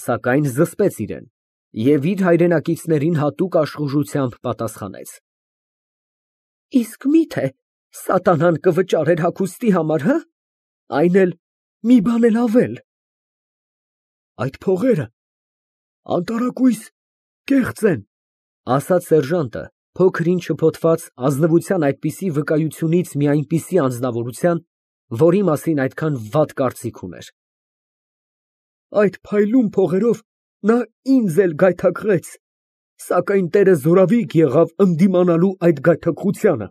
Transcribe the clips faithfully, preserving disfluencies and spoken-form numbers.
Սակայն զսպեց իրեն և իր հայրենակիցներին հատուկ աշխուժությամբ պատասխանեց. Իսկ մի՞թե սատանան կվճարեր հագուստի համար, հը, այն էլ մի բան էլ ավել։ Այդ փողերը անտարակույս կեղծ են, ասաց սերժանտը, փոքր ինչ շփոթված ազնվության այդպիսի վկայությունից մի այնպիսի անձնավորության, որի մասին այդքան վատ կարծիք ուներ։ Այդ փայլուն փողերով նա ինձ էլ գայթակղեց, սակայն տերը զորավիգ եղավ ընդդիմանալու այդ գայթակղությանը։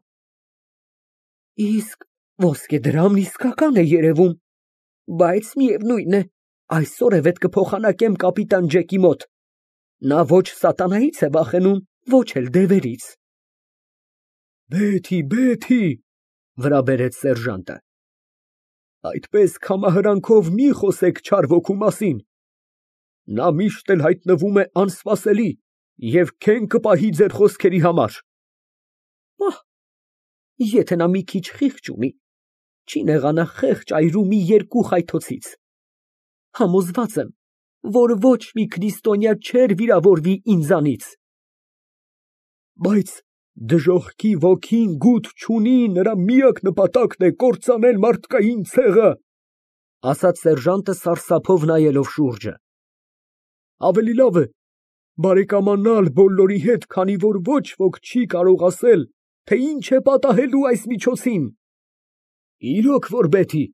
Իսկ ոսկեդրամն իսկական է երևում, բայց միևնույն է, այսօր էլ կփոխանակեմ կապիտան Ջեկի մոտ, նա ոչ սատանայից է վախենում, ոչ էլ դևերից։ Բեթի, Բեթի, վրա բերեց սերժանտը, այդպես քամահրանքով մի խոսեք չար ոգու մասին, նա միշտ էլ հայտնվում է անսպասելի և քեն կպահի ձեր խոսքերի համար։ Պահ, եթե նա մի քիչ խիղճ ունի, չի նեղանա խեղճ այրու մի երկու խայթոցից։ Համոզված եմ, որ ոչ մի քրիստոնյա չէր վիրավորվի ինձանից։ Բայց դժոխքի ոգին գութ չունի, նրա միակ նպատակն է կործանել մարդկային ցեղը, ասաց սերժանտը սարսափով նայելով շուրջը։ Ավելի լավ է բարեկամանալ բոլորի հետ, քանի որ ոչ ոք չի կարող ասել, թե ինչ է պատահելու այս միջոցին։ Իրոք որ Բեթի,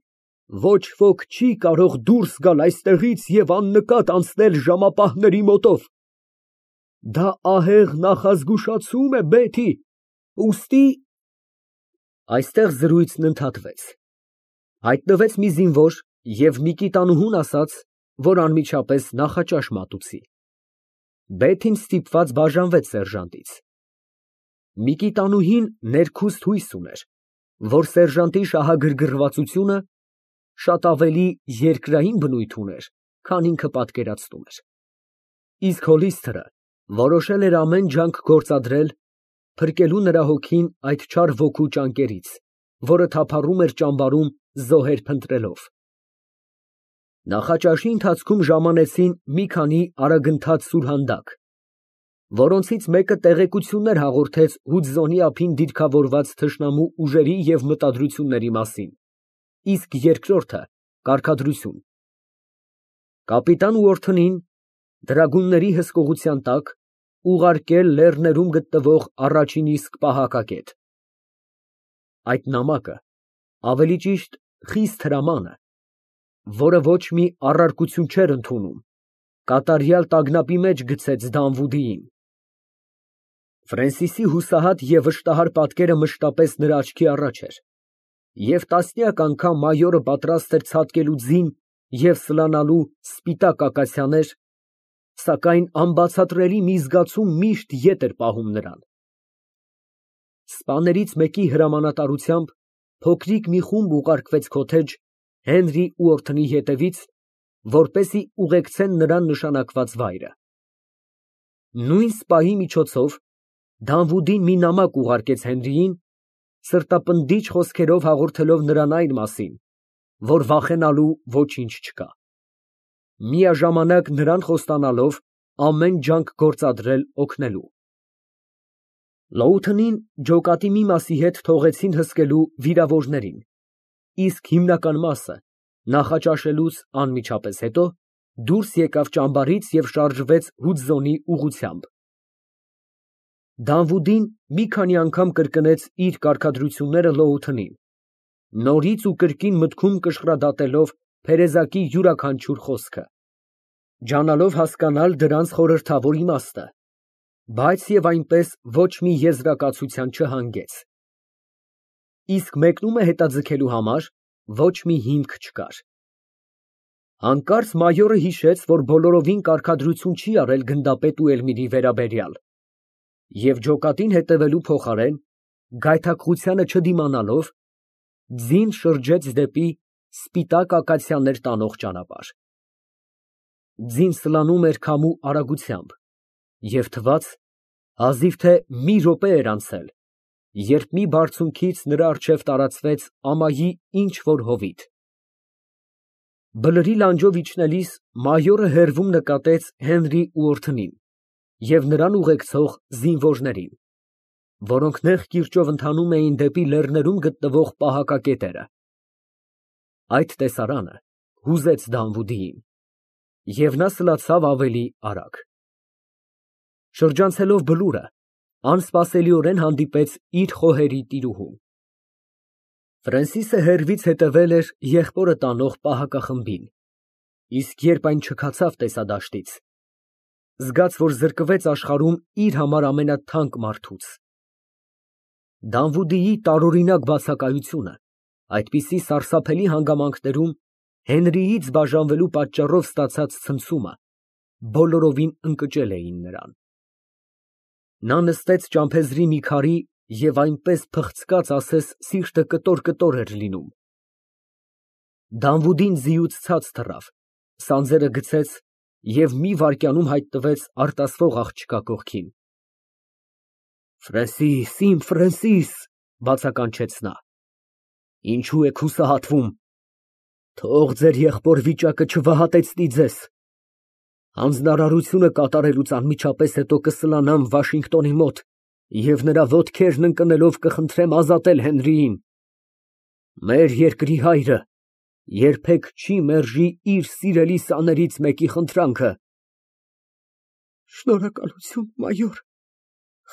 ոչ ոք չի կարող դուրս գալ այստեղից և աննկատ անցնել ժամապահների մոտով։ Դա ահեղ նախազգուշացում է, Բեթի, ուստի… Այստեղ զրույցն ընդհատվեց։ Հայտնվեց մի զինվոր և Միկիտանուհուն ասաց, որ անմիջապես նախաճաշ մատուցի։ Բեթին ստիպված բաժանվեց սերժանտից։ Միկիտանուհին ներքուստ հույս ուներ, որ սերժանտի շահագրգռվածությունը շատ ավելի երկրային բնույթ ուներ, քան ինքը պատկերացնում էր։ Իսկ Հոլիսթերը որոշել էր ամեն ջանք գործադրել փրկելու նրա հոգին այդ չար ոգու ճանկերից, որը թափառում էր ճամբարում զոհեր փնտրելով։ Նախաճաշի ընթացքում ժամանեցին մի քանի արագընթաց սուրհանդակ, որոնցից մեկը տեղեկություններ հաղորդեց Հուդզոնի ափին դիրքավորված թշնամու ուժերի և մտադրությունների մասին, իսկ երկրորդը կարգադրություն։ Կապիտան Ուորթնին դրագունների հսկողության տակ ուղարկել լեռներում գտնվող առաջին իսկ պահակակետ։ Այդ նամակը, ավելի ճիշտ խիստ հրամանը, որը ոչ մի առարկություն չէր ընդունում, կատարյալ տագնապի մեջ գցեց Դանվուդիին։ Ֆրենսիսի հուսահատ և վշտահար պատկերը մշտապես նրա աչքի առաջ էր, և տասնյակ անգամ մայորը պատրաստ էր ցատկելու ձին և սլանալու սպիտակ ակացիաներ, սակայն անբացատրելի մի զգացում միշտ ետ էր պահում նրան։ Սպաներից մեկի հրամանատարությամբ փոքրիկ մի խումբ ուղարկվեց քոթեջ Հենրի Ուորթնի հետևից, որպեսզի ուղեկցեն նրան նշանակված վայրը։ Նույն սպայի միջոցով Դանվուդին մի նամակ ուղարկեց Հենրիին, սրտապնդիչ խոսքերով հաղորդելով նրան այն մասին, որ վախենալու ոչինչ չկա, միաժամանակ նրան խոստանալով ամեն ջանք գործադրել օգնելու։ Լոութընին ջոկատի մի մասի հետ թողեցին հսկելու վիրավորներին, իսկ հիմնական մասը նախաճաշելուց անմիջապես հետո դուրս եկավ ճամբարից և շարժվեց Հուդզոնի ուղղությամբ։ Դանվուդին մի քանի անգամ կրկնեց իր կարգադրությունները Լոութընին, նորից ու կրկին մտքում կշռադատելով փերեզակի յուրաքանչյուր խոսքը, ջանալով հասկանալ դրանց խորհրդավոր իմաստը, բայց և այնպես ոչ մի եզրակացության չհանգեց։ Իսկ մեկնումը հետաձգելու համար ոչ մի հիմք չկար։ Հանկարծ մայորը հիշեց, որ բոլորովին կարգադրություն չի արել գնդապետ Ուելմիրի վերաբերյալ, և ջոկատին հետևելու փոխարեն, գայթակղությանը չդիմանալով, ձին շրջեց դեպի սպիտակ ակացիաներ տանող ճանապարհ։ Ձին սլանում էր քամու արագությամբ, և թվաց, հազիվ թե մի րոպե էր անցել, երբ մի բարձունքից նրա առջև տարածվեց ամայի ինչ֊որ հովիտ։ Բլրի լանջով իջնելիս մայորը հեռվում նկատեց Հենրի ու Օրթնին և նրան ուղեկցող զինվորներին, որոնք նեղ կիրճով ընթանում էին դեպի լեռներում գտնվող պահակակետերը։ Այդ տեսարանը հուզեց Դանվուդիին, և նա սլացավ ավելի արագ։ Շրջանցելով բլուրը, անսպասելիորեն հանդիպեց իր խոհերի տիրուհուն։ Ֆրենսիսը հեռվից հետևել էր եղբորը տանող պահակախմբին, իսկ երբ այն չքացավ տեսադաշտից, զգաց, որ զրկվեց աշխարհում իր համար ամենաթանկ մարդուց։ Դանվուդիի տարօրինակ բացակայությունը այդպիսի սարսափելի հանգամանքներում Հենրիից բաժանվելու պատճառով ստացած ցնցումը բոլորովին ընկճել էին նրան։ Նա նստեց ճամփեզրի մի քարի և այնպես փխցկաց, ասես սիրտը կտոր֊կտոր էր լինում։ Դանվուդին ձիուց ցած թռավ, սանձերը գցեց և մի վայրկյանում հայտնվեց արտասվող աղջկա կողքին։ «Ֆրենսիս, իմ Ֆրենսիս», բացականչեց նա, «ինչու եք հուսահատվում, թող ձեր եղբոր վիճակը չվհատեցնի ձեզ։ Հանձնարարությունը կատարելուց անմիջապես հետո կսլանամ Վաշինգտոնի մոտ և նրա ոտքերն ընկնելով կխնդրեմ ազատել Հենրիին։ Մեր երկրի հայրը երբեք չի մերժի իր սիրելի սաներից մեկի խնդրանքը»։ Շնորհակալություն, մայոր,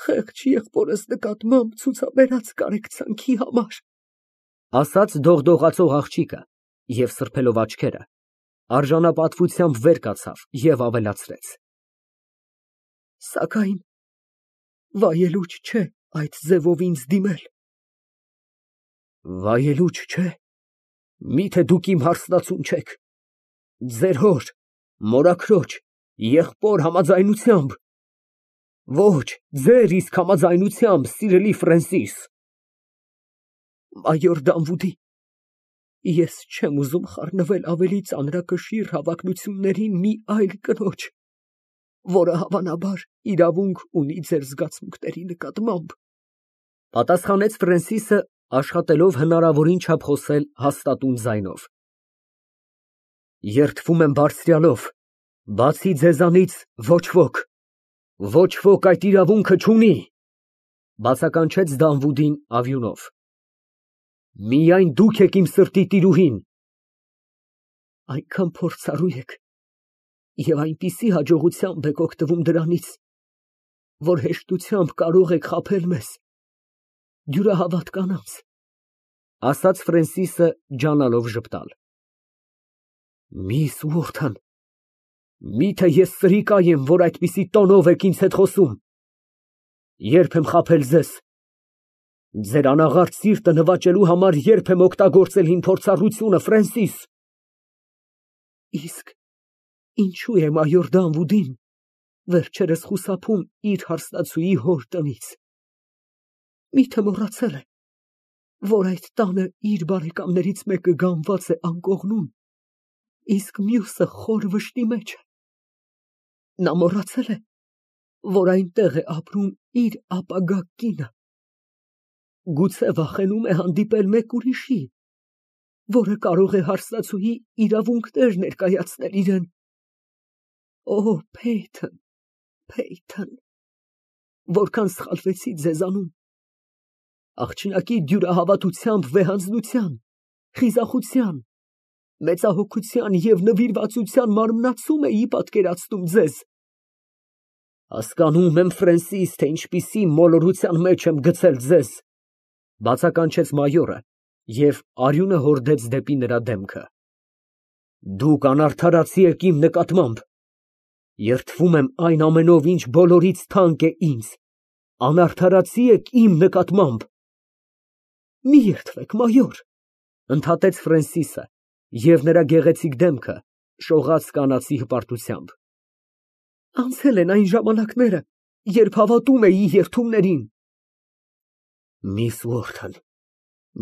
խեղճ եղբորս նկատմամբ ցուցաբերած կարեկցանքի համար, ասաց դողդողացող աղջիկը և սրբելով աչքերը, արժանապատվությամբ վեր կացավ և ավելացրեց. Սակայն վայելուչ չէ այդ ձևով ինձ դիմել։ Վայելուչ չէ։ Միթե դուք իմ հարսնացուն չեք։ Ձեր հոր, մորաքրոջ, եղբոր համաձայնությամբ։ Ոչ, ձեր իսկ համաձայնությամբ, սիրելի Ֆրենսիս։ Մայոր Դանվուդի, ես չեմ ուզում խառնվել ավելի ծանրակշիռ հավակնություններին մի այլ կնոջ, որը հավանաբար իրավունք ունի ձեր զգացմունքների նկատմամբ, պատասխանեց Ֆրենսիսը, աշխատելով հնարավորին չափ խոսել հաստատուն ձայնով։ Երդվում եմ Բարձրյալով, բացի ձեզանից ոչ ոք, ոչ ոք այդ իրավունքը չունի, բացականչեց Դանվուդին ավյունով։ Միայն դուք եք իմ սրտի տիրուհին։ Այնքան փորձառու եք և այնպիսի հաջողությամբ եք օգտվում դրանից, որ հեշտությամբ կարող եք խաբել մեզ, դյուրահավատ կանանց, ասաց Ֆրենսիսը ջանալով ժպտալ։ Միս Ուորթան, միթե ես սրիկա եմ, որ այդպիսի տոնով եք ինձ հետ խոսում։ Ե՞րբ եմ խաբել ձեզ։ Ձեր անաղարտ սիրտը նվաճելու համար ե՞րբ եմ օգտագործել իմ փորձառությունը, Ֆրենսիս։ Իսկ ինչու է մայոր Դանվուդին վերջերս խուսափում իր հարսնացուի հոր տնից։ Միթե մոռացել է, որ այդ տանը իր բարեկամներից մեկը գանված է անկողնում, իսկ մյուսը խոր վշտի մեջ է։ Նա մոռացել է, որ այնտեղ է ապրում իր ապագա կինը։ Գուցե վախենում է հանդիպել մեկ ուրիշի, որը կարող է հարսնացուի իրավունքներ ներկայացնել իրան։ Օ, Փեյթոն, Փեյթոն, որքան սխալվեցի ձեզանում։ Աղջնակի դյուրահավատությամբ վեհանձնության, խիզախության, մեծահոգության և նվիրվածության մարմնացում էի պատկերացնում ձեզ։ Հասկանում եմ, Ֆրենսիս, թե ինչպիսի մոլորության մեջ եմ գցել ձեզ, բացականչեց մայորը և արյունը հորդեց դեպի նրա դեմքը։ Դուք անարդարացի եք իմ նկատմամբ։ Երդվում եմ այն ամենով, ինչ բոլորից թանկ է ինձ, անարդարացի եք իմ նկատմամբ։ Մի երդվեք, մայոր, ընդհատեց Ֆրենսիսը, և նրա գեղեցիկ դեմքը շողաց կանացի հպարտությամբ։ Անցել են այն ժամանակները, երբ հավատում էի երդումներին։ Միս Ուորթան,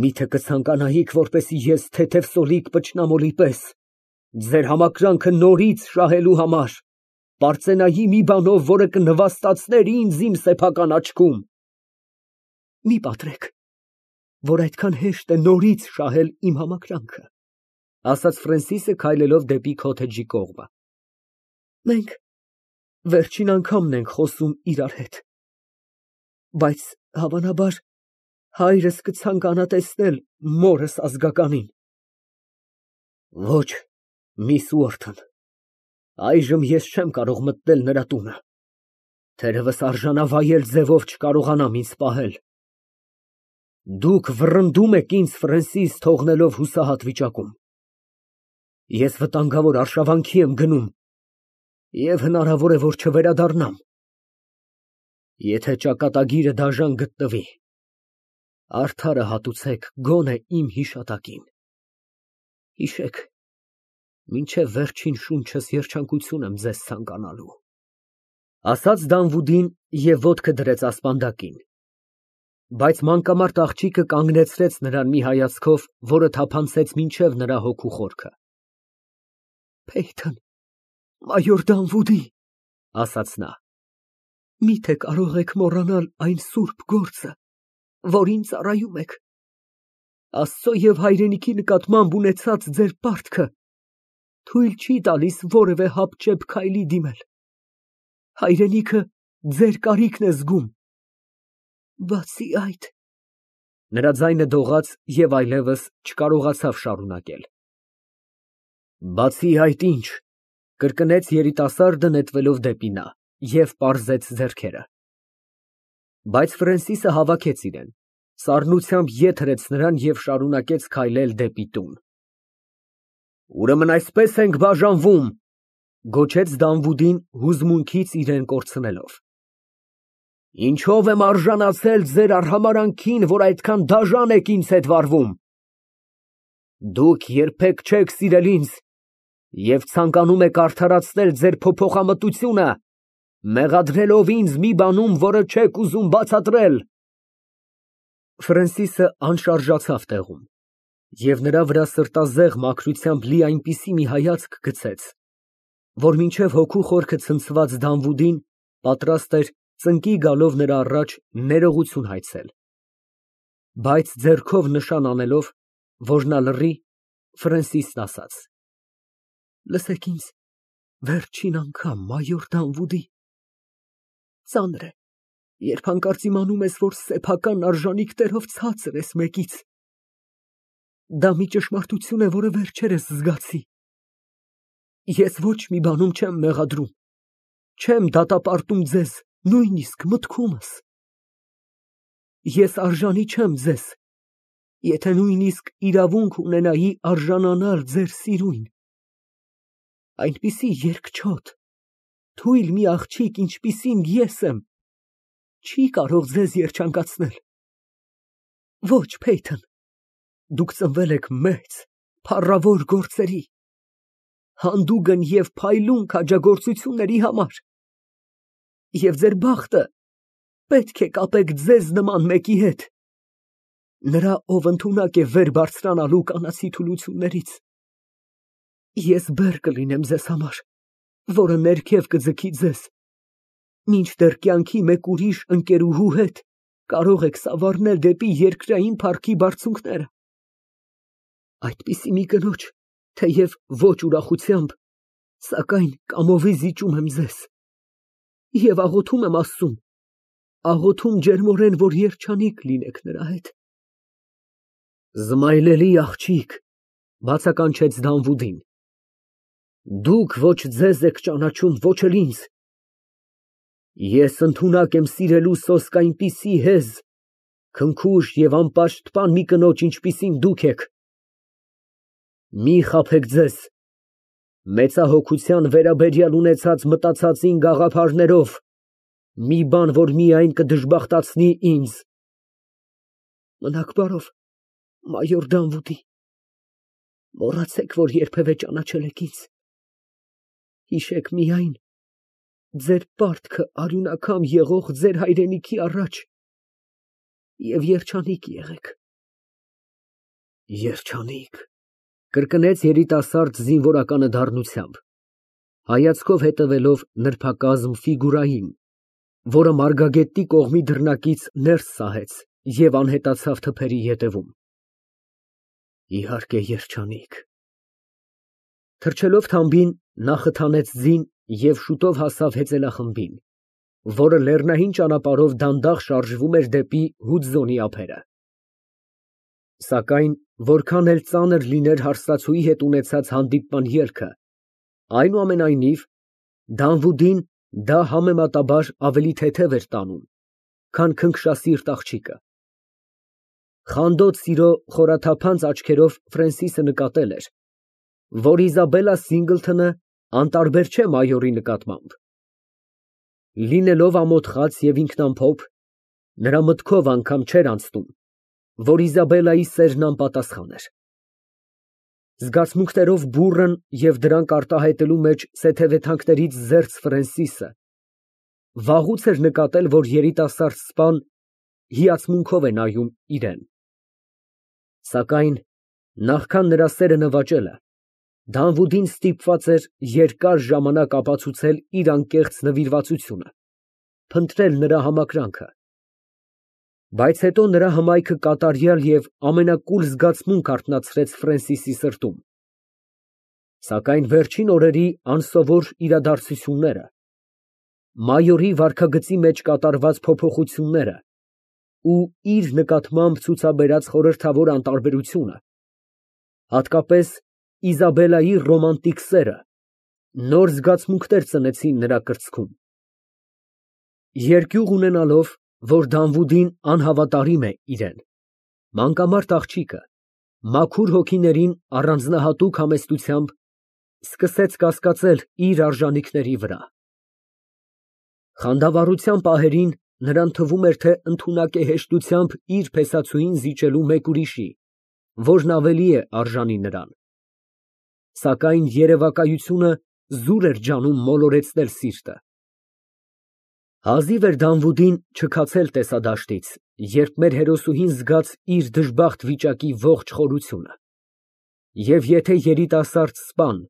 միթե կցանկանայիք, որպեսզի ես թեթև սոլիկ պճնամոլի պես ձեր համակրանքը նորից շահելու համար պարծենայի մի բանով, որը կնվաստացներ ինձ իմ սեփական աչքում։ Մի պատրեք, որ այդքան հեշտ է նորից շահել իմ համակրանքը։ ասաց Ֆրենսիսը քայլելով դեպի քոթեջի կողմը։ Մենք վերջին անգամն ենք խոսում իրար հետ, բայց հավանաբար հայրս կցանկանա տեսնել մորս ազգականին։ Ոչ, միս Ուորթն, այժմ ես չեմ կարող մտնել նրա տունը, թերևս արժանավայել ձևով չկարողանամ ինձ պահել։ Դուք վռնդում եք ինձ Ֆրենսիս թողնելով հուսահատ վիճակում։ Ես վտանգավոր արշավանքի եմ գնում և հնարավոր է, որ չվերադառնամ։ Եթե ճակատագիրը դաժան գտնվի, արդարը հատուցեք գոնե իմ հիշատակին։ Հիշեք, մինչև վերջին շունչս երջանկություն եմ ձեզ ցանկանալու։ Ասաց Դանվուդին և ոտքը դրեց ասպանդակին։ Բայց մանկամարտ աղջիկը կանգնեցրեց նրան մի հայացքով, որը թափանցեց մինչև նրա հոգու խորքը։ Փեյթոն, մայոր Դանվուդի, ասաց նա, միթե կարող եք մոռանալ այն սուրբ գործը, որին ծառայում եք։ Աստծո և հայրենիքի նկատմամբ ունեցած ձեր պարտքը թույլ չի տալիս որևէ հապճեպ քայլի դիմել։ Հայրենիքը ձեր կարիքն է զգում։ Բացի այդ… Նրա ձայնը դողաց և այլևս չկարողացավ շարունակել։ Բացի այդ ինչ, կրկնեց երիտասարդը նետվելով դեպի նա և պարզեց ձեռքերը։ Բայց Ֆրենսիսը հավաքեց իրեն, սառնությամբ ետ հրեց նրան և շարունակեց քայլել դեպի տուն։ Ուրեմն այսպես ենք բաժանվում, գոչեց Դանվուդին հուզմունքից իրեն կորցնելով։ Ինչո՞վ եմ արժանացել ձեր արհամարհանքին, որ այդքան դաժան եք ինձ հետ վարվում։ Դուք երբեք չեք սիրել ինձ և ցանկանում եք արդարացնել ձեր փոփոխամտությունը, մեղադրելով ինձ մի բանում, որը չեք ուզում բացատրել։ Ֆրենսիսը անշարժացավ տեղում, և նրա վրա սրտազեղ մաքրությամբ լի այնպիսի մի հայացք գցեց, որ մինչև հոգու խորքը ցնցված Դանվուդին պատրաստ էր ծնկի գալով նրա առաջ ներողություն հայցել։ Բայց ձեռքով նշան անելով, որ նա լռի, Ֆրենսիսն ասաց. Լսեք ինձ վերջին անգամ, մայոր Դանվուդի, ծանր է, երբ հանկարծ իմանում ես, որ սեփական արժանիքներով ցածր ես մեկից։ Դա մի ճշմարտություն է, որը վերջերս զգացի։ Ես ոչ մի բանում չեմ մեղադրում, չեմ դատապարտում ձեզ, նույնիսկ մտքումս։ Ես արժանի չեմ ձեզ, եթե նույնիսկ իրավունք ունենայի արժանանալ ձեր սիրուն։ Այնպիսի երկչոտ, թույլ մի աղջիկ, ինչպիսին ես եմ, չի կարող ձեզ երջանկացնել։ Ոչ, Փեյթոն, դուք ծնվել եք մեծ, փառավոր գործերի, հանդուգն և փայլուն քաջագործությունների համար, և ձեր բախտը պետք է կապեք ձեզ նման մեկի հետ, նրա, ով ընդունակ է վեր բարձրանալու կանացի թուլություններից։ Ես բեռ կլինեմ ձեզ համար, որը ներքև կձգի ձեզ, մինչդեռ կյանքի մեկ ուրիշ ընկերուհու հետ կարող եք սավառնել դեպի երկրային փառքի բարձունքները։ Այդպիսի մի կնոջ, թեև ոչ ուրախությամբ, սակայն կամովի զիջում եմ ձեզ և աղոթում եմ Աստծուն, աղոթում ջերմորեն, որ երջանիկ լինեք նրա հետ։ Զմայլելի աղջիկ, բացականչեց Դանվուդին, դուք ոչ ձեզ եք ճանաչում, ոչ էլ ինձ։ Ես ընդունակ եմ սիրելու սոսկ այնպիսի հեզ, քնքուշ և անպաշտպան մի կնոջ, ինչպիսին դուք եք։ Մի խաբեք ձեզ մեծահոգության վերաբերյալ ունեցած մտածածին գաղափարներով, մի բան, որ միայն կդժբախտացնի ինձ։ Մնաք բարով, մայոր Դանվուդի, մոռացեք, որ երբևէ ճանաչել եք ինձ։ Հիշեք միայն ձեր պարտքը արյունակամ եղող ձեր հայրենիքի առաջ և երջանիկ եղեք։ Երջանիկ, կրկնեց երիտասարդ զինվորականը դառնությամբ, հայացքով հետևելով նրբակազմ ֆիգուրային, որը մարգագետի կողմի դռնակից ներս սահեց և անհետացավ թփերի ետևում։ Իհարկե, երջանիկ, Թռչելով թամբին, նա խթանեց ձին և շուտով հասավ հեծելախմբին, որը լեռնային ճանապարհով դանդաղ շարժվում էր դեպի Հուդզոնի ափերը։ Սակայն որքան էլ ծանր լիներ հարսնացուի հետ ունեցած հանդիպման ելքը, այնուամենայնիվ Դանվուդին դա համեմատաբար ավելի թեթև էր տանում, քան քնքշասիրտ աղջիկը։ Խանդոտ սիրո խորաթափանց աչքերով Ֆրենսիսը նկատել էր, որ Իզաբելլա Սինգլթոնը անտարբեր չէ մայորի նկատմամբ։ Լինելով ամոթխած և ինքնամփոփ, նրա մտքով անգամ չէր անցնում, որ Իզաբելլայի սերն անպատասխան էր։ Զգացմունքներով բուռն և դրանք արտահայտելու մեջ սեթևեթանքներից զերծ Ֆրենսիսը վաղուց էր նկատել, որ երիտասարդ սպան հիացմունքով է նայում իրան։ Սակայն նախքան նրա սերը նվաճելը, Դանվուդին ստիպված էր երկար ժամանակ ապացուցել իր անկեղծ նվիրվածությունը, փնտրել նրա համակրանքը։ Բայց հետո նրա հմայքը կատարյալ և ամենակուլ զգացմունք արթնացրեց Ֆրենսիսի սրտում։ Սակայն վերջին օրերի անսովոր իրադարձությունները, մայորի վարքագծի մեջ կատարված փոփոխությունները ու իր նկատմամբ ցուցաբերած խորհրդավոր անտարբերությունը, հատկապես Իզաբելլայի ռոմանտիկ սերը, նոր զգացմունքներ ծնեցին նրա կրծքում։ Երկյուղ ունենալով, որ Դանվուդին անհավատարիմ է իրան, մանկամարդ աղջիկը մաքուր հոգիներին առանձնահատուկ համեստությամբ սկսեց կասկածել իր արժանիքների վրա։ Խանդավառության պահերին նրան թվում էր, թե ընդունակ է հեշտությամբ իր փեսացուին զիջելու մեկ ուրիշի, որն ավելի է արժանի նրան։ Սակայն երևակայությունը զուր էր ջանում մոլորեցնել սիրտը։ Հազիվ էր Դանվուդին չքացել տեսադաշտից, երբ մեր հերոսուհին զգաց իր դժբախտ վիճակի ողջ խորությունը։ Եվ եթե երիտասարդ սպան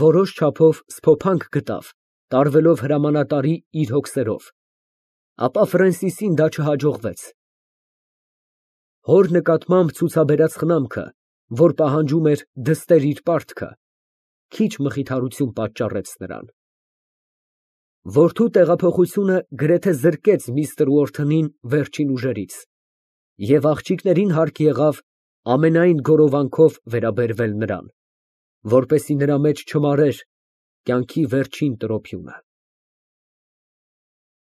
որոշ չափով սփոփանք գտավ, տարվելով հրամանատարի իր հոգսերով, ապա Ֆրենսիսին դա չհաջողվեց։ Հոր նկատմամբ ցուցաբերած խնամքը, որ պահանջում էր դստեր իր պարտքը, քիչ մխիթարություն պատճառեց նրան։ Որդու տեղափոխությունը գրեթե զրկեց միստր Ուորթնին վերջին ուժերից, և աղջիկներին հարկ եղավ ամենայն գորովանքով վերաբերվել նրան, որպեսզի նրա մեջ չմարեր կյանքի վերջին տրոփյունը։